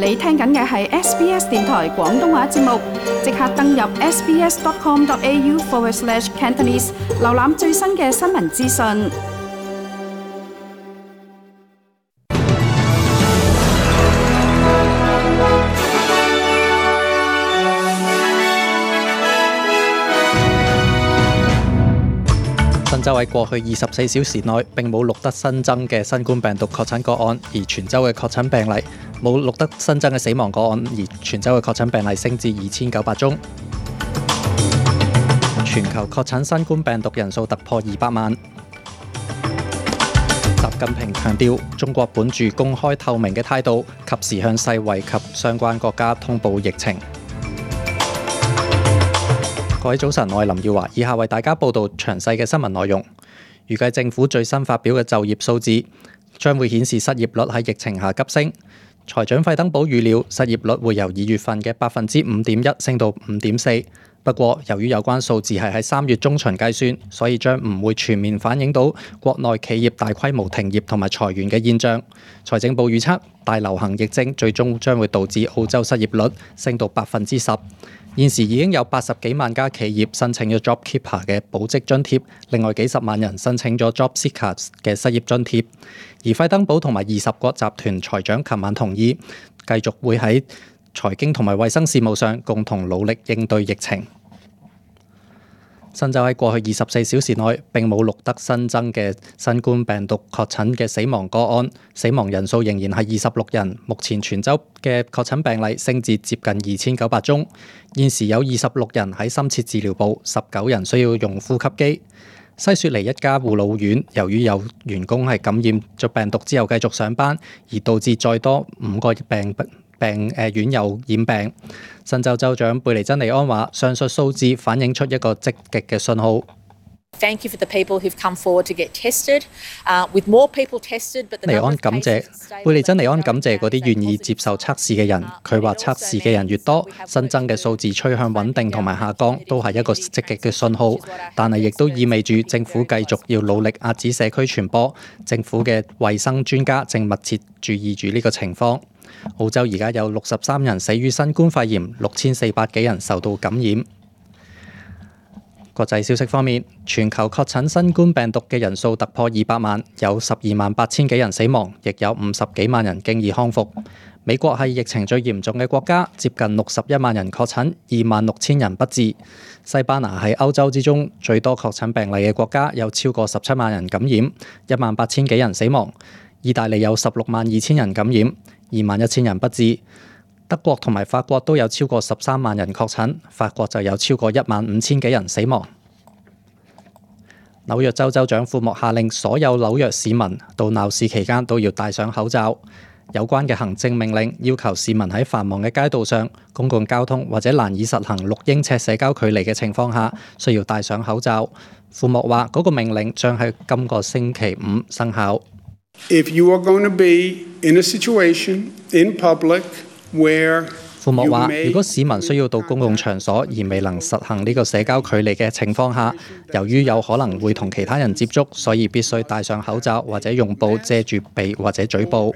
你聽緊嘅係 SBS 電台廣東話節目，即刻登入 sbs.com.au/Cantonese 瀏覽最新嘅新聞資訊。新州喺過去24小時內並冇錄得新增嘅新冠病毒確診個案，而全州嘅確診病例冇錄得新增嘅死亡個案，而全州嘅確診病例升至2900宗。全球確診新冠病毒人數突破200萬。習近平強調，中國本住公開透明嘅態度，及時向世衛及相關國家通報疫情。各位早晨，我係林耀華，以下為大家報道詳細嘅新聞內容。預計政府最新發表嘅就業數字將會顯示失業率喺疫情下急升。財長費登堡預料失業率會由2月份嘅5.1%升到5.4%。不過，由於有關數字係喺3月中旬計算，所以將唔會全面反映到國內企業大規模停業同埋裁員嘅現象。財政部預測，大流行疫症最終將會導致澳洲失業率升到10%。現時已經有80幾萬家企業申請咗 JobKeeper 嘅保職津貼，另外幾十萬人申請咗 JobSeeker 嘅失業津貼。而費登堡同埋20國集團財長琴晚同意，繼續會喺財經同埋衛生事務上共同努力應對疫情。新州喺過去24小時內並冇錄得新增嘅新冠病毒確診嘅死亡個案，死亡人數仍然係26人。目前全州嘅確診病例升至接近2900宗，現時有26人喺深切治療部，19人需要用呼吸機。西雪梨一家護老院由於有員工係感染咗病毒之後繼續上班，而導致再多5個院友染病。新州州長貝尼珍尼安話，上述數字反映出一個積極嘅信號。Thank you for the people who've come forward to get tested. With more people tested, but the number of cases stay. 貝尼珍尼安感謝嗰啲願意接受測試嘅人。佢話測試嘅人越多，新增嘅數字趨向穩定同埋下降，都係一個積極嘅信號。但係亦都意味住政府繼續要努力遏止社區傳播。政府嘅衛生專家正密切注意住呢個情況。澳洲而家有63人死於新冠肺炎，6400幾人受到感染。國際消息方面，全球確診新冠病毒嘅人數突破200萬，有128000幾人死亡，亦有50幾萬人經已康復。美國係疫情最嚴重嘅國家，接近61萬人確診，26000人不治。西班牙係歐洲之中最多確診病例嘅國家，有超過17萬人感染，18000幾人死亡。意大利有162000人感染，21000人不治。德國同埋法國都有超過13萬人確診，法國就有超過15000幾人死亡。紐約州州長庫莫下令所有紐約市民到鬧市期間都要戴上口罩。有關嘅行政命令要求市民喺繁忙嘅街道上、公共交通或者難以實行6英尺社交距離嘅情況下，需要戴上口罩。庫莫話嗰個命令將喺今個星期5生效。If you are going to be in a situation in public where 庫莫話，如果市民需要到公共場所而未能實行呢個社交距離嘅情況下，由於有可能會同其他人接觸，所以必須戴上口罩或者用布遮住鼻或者嘴部。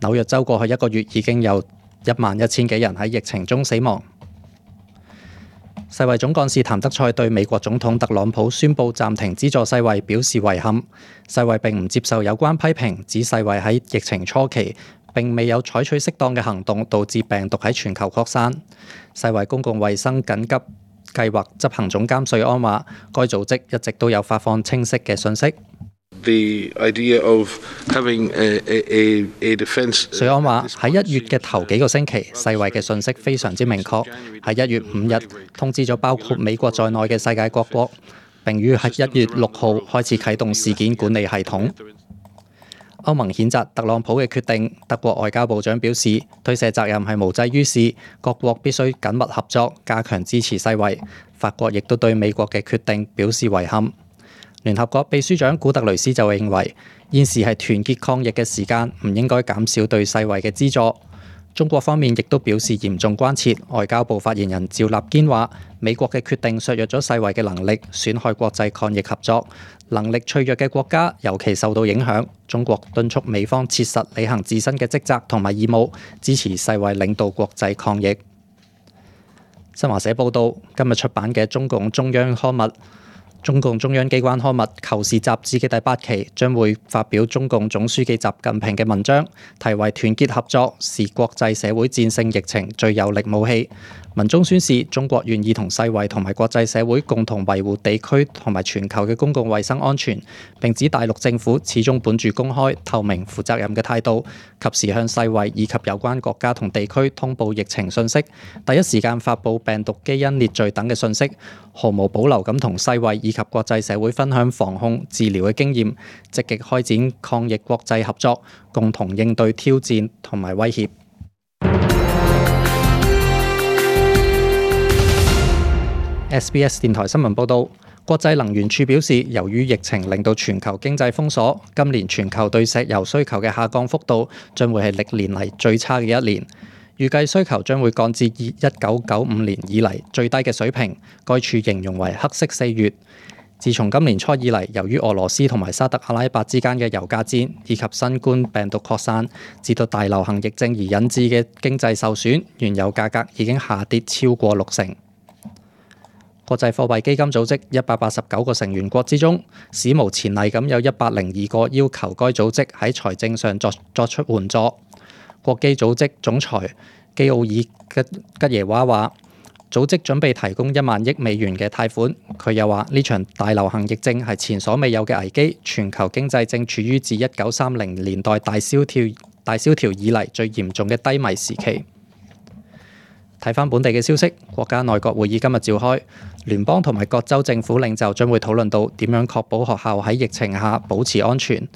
紐約州過去1個月已經有11000幾人喺疫情中死亡。世衛總幹事譚德塞對美國總統特朗普宣布暫停資助世衛表示遺憾。世衛並唔接受有關批評，指世衛喺疫情初期並未有採取適當嘅行動，導致病毒喺全球擴散。世衛公共衛生緊急計劃執行總監瑞安話，該組織一直都有發放清晰嘅信息。瑞安話喺1月嘅頭幾個星期，世衛嘅信息非常之明確，喺1月5日通知咗包括美國在內嘅世界各國，並於喺1月6號開始啟動事件管理系統。歐盟譴責特朗普嘅決定，德國外交部長表示推卸責任係無濟於事，各國必須緊密合作，加強支持世衛。法國亦都對美國嘅決定表示遺憾。聯合國秘書長古特雷斯就認為，現時係團結抗疫嘅時間，唔應該減少對世衛嘅資助。中國方面亦都表示嚴重關切。外交部發言人趙立堅話：美國嘅決定削弱咗世衛嘅能力，損害國際抗疫合作。能力脆弱嘅國家尤其受到影響。中國敦促美方切實履行自身嘅職責同埋義務，支持世衛領導國際抗疫。新華社報道，今日出版嘅中共中央機關刊物《求是》雜誌嘅第8期將會發表中共總書記習近平嘅文章，題為《團結合作是國際社會戰勝疫情最有力武器》。文中宣示中國願意同世衛同埋國際社會共同維護地區同埋全球嘅公共衛生安全，並指大陸政府始終本住公開、透明、負責任嘅態度，及時向世衛以及有關國家同地區通報疫情信息，第一時間發布病毒基因列序等嘅信息，毫無保留咁同世衛以及國際社會分享防控、治療嘅經驗，積極開展抗疫國際合作，共同應對挑戰同埋威脅。SBS 電台新聞報導，國際能源署表示，由於疫情令到全球經濟封鎖，今年全球對石油需求嘅下降幅度將會係歷年嚟最差嘅一年。預計需求將會降至1995年以嚟最低嘅水平。該處形容為黑色4月。自從今年初以嚟，由於俄羅斯同埋沙特阿拉伯之間嘅油價戰以及新冠病毒擴散，至到大流行疫症而引致嘅經濟受損，原油價格已經下跌超過60%。國際貨幣基金組織189個成員國之中，史無前例咁有102個要求該組織喺財政上作出援助。國基組織總裁基奧爾吉耶娃話：組織準備提供1萬億美元嘅貸款。佢又話：呢場大流行疫症係前所未有嘅危機，全球經濟正處於自1930年代大蕭條以嚟最嚴重嘅低迷時期。睇返本地嘅消息，國家內閣會議今日召開，聯邦同埋各州政府領袖將會討論到點樣確保學校喺疫情下保持安全。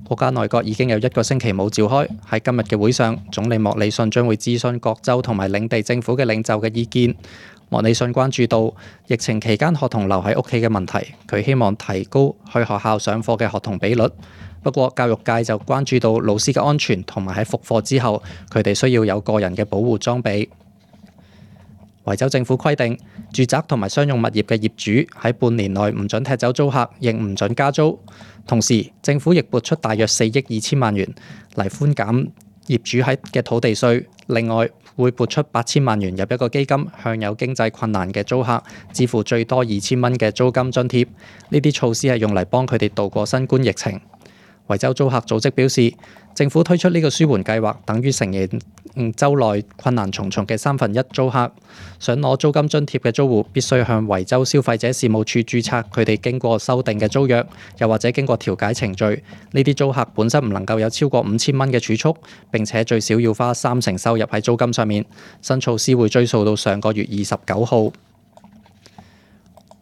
國家內閣已經有1個星期冇召開，喺今日嘅會上，總理莫里遜將會諮詢各州同埋領地政府嘅領袖嘅意見。莫里遜關注到疫情期間學童留喺屋企嘅問題，佢希望提高去學校上課嘅學童比率。不過教育界就關注到老師嘅安全同埋喺復課之後，佢哋需要有個人嘅保護裝備。維州政府規定，住宅同埋商用物業嘅業主喺半年內唔准踢走租客，亦唔准加租。同時，政府亦撥出大約4億2千萬元嚟寬減業主嘅土地稅。另外，會撥出8000萬元入一個基金，向有經濟困難嘅租客支付最多2000蚊嘅租金津貼。呢啲措施係用嚟幫佢哋度過新冠疫情。維州租客組織表示，政府推出呢個舒緩計劃，等於承認州內困難重重嘅1/3租客。想攞租金津貼嘅租戶必須向維州消費者事務處註冊佢哋經過修訂嘅租約，又或者經過調解程序。呢啲租客本身唔能夠有超過5000蚊嘅儲蓄，並且最少要花30%收入喺租金上面。新措施會追溯到上個月29號。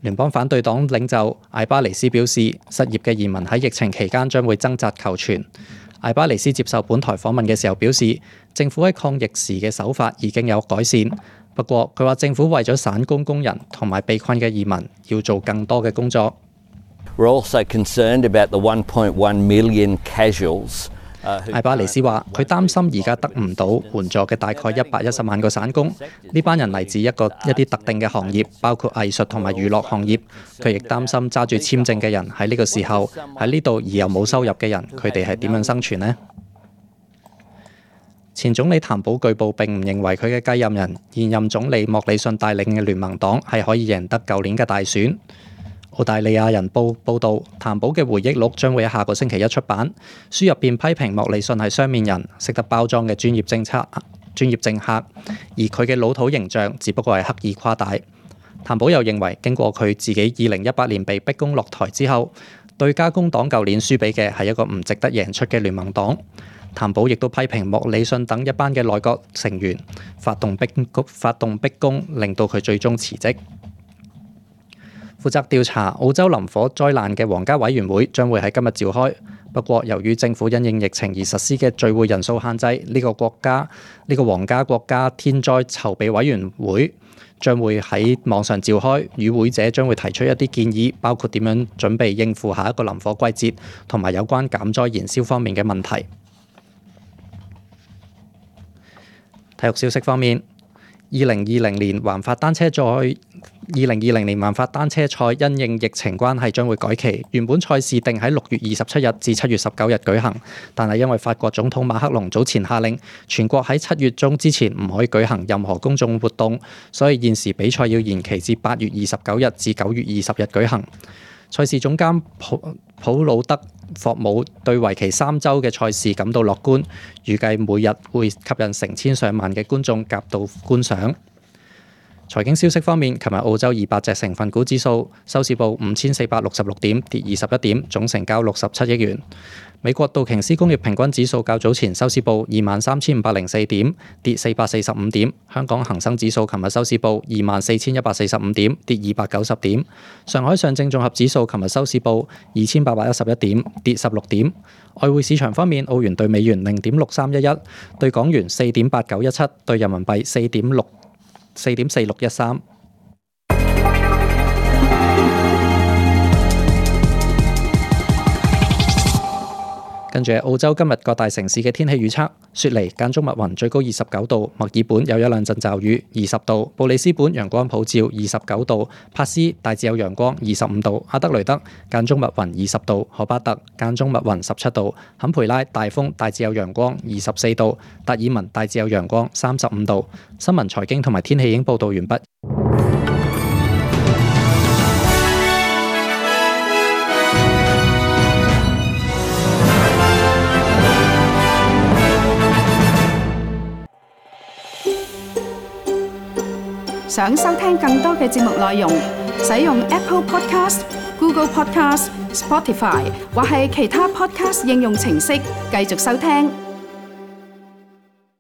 聯邦反對黨領袖艾巴尼斯表示，失業嘅移民喺疫情期間將會掙扎求存。艾巴尼斯接受本台訪問嘅時候表示，政府喺抗疫時嘅手法已經有改善，不過佢話政府為咗散工工人同埋被困嘅移民要做更多嘅工作。We're also concerned about the 1.1 million casuals. 艾巴尼斯話：佢擔心而家得唔到援助嘅大概110萬個散工，呢班人嚟自一啲特定嘅行業，包括藝術同埋娛樂行業。佢亦擔心揸住簽證嘅人喺呢個時候喺呢度而又冇收入嘅人，佢哋係點樣生存呢？前總理譚寶據報並唔認為佢嘅繼任人現任總理莫里遜帶領嘅聯盟黨係可以贏得舊年嘅大選。澳大利亞人報道，譚寶嘅回憶錄將會喺下個星期一出版。書入邊批評莫里遜係雙面人，識得包裝嘅專業政客，而佢嘅老土形象只不過係刻意誇大。譚寶又認為，經過佢自己2018年被逼宮落台之後，對家工黨舊年輸俾嘅係一個唔值得贏出嘅聯盟黨。譚寶亦都批評莫里遜等一班嘅內閣成員發動逼宮，令到佢最終辭職。負責調查澳洲林火災難嘅皇家委員會將會喺今日召開，不過由於政府因應疫情而實施嘅聚會人數限制，呢個皇家國家天災籌備委員會將會喺網上召開，與會者將會提出一啲建議，包括點樣準備應付下一個林火季節，同埋有關減災燃燒方面嘅問題。體育消息方面，2020年環法單車賽因應疫情關係將會改期，原本賽事定喺6月27日至7月19日舉行，但係因為法國總統馬克龍早前下令全國喺7月中之前唔可以舉行任何公眾活動，所以現時比賽要延期至8月29日至9月20日舉行。賽事總監普魯德霍姆對為期3週嘅賽事感到樂觀，預計每日會吸引成千上萬嘅觀眾夾道觀賞。財經消息方面，琴日澳洲200隻成分股指數收市報5466點，跌21點，總成交67億元。美國道瓊斯工業平均指數較早前收市報23,504點，跌445點。香港恒生指數琴日收市報24,145點，跌290點。上海上證綜合指數琴日收市報2,811點，跌16點。外匯市場方面，澳元對美元0.6311，對港元4.8917，對人民幣4.4613。跟住澳洲今日各大城市嘅天氣預測：雪梨間中密雲，最高29度；墨爾本有一兩陣驟雨，20度；布里斯本陽光普照，29度；珀斯大致有陽光，25度；阿德雷德間中密雲，20度；荷巴特間中密雲，17度；坎培拉大風大致有陽光，24度；達爾文大致有陽光，35度。新聞財經同埋天氣已經報導完畢。想收聽更多嘅節目內容，使用 Apple Podcast、Google Podcast、Spotify 或係其他 Podcast 應用程式繼續收聽。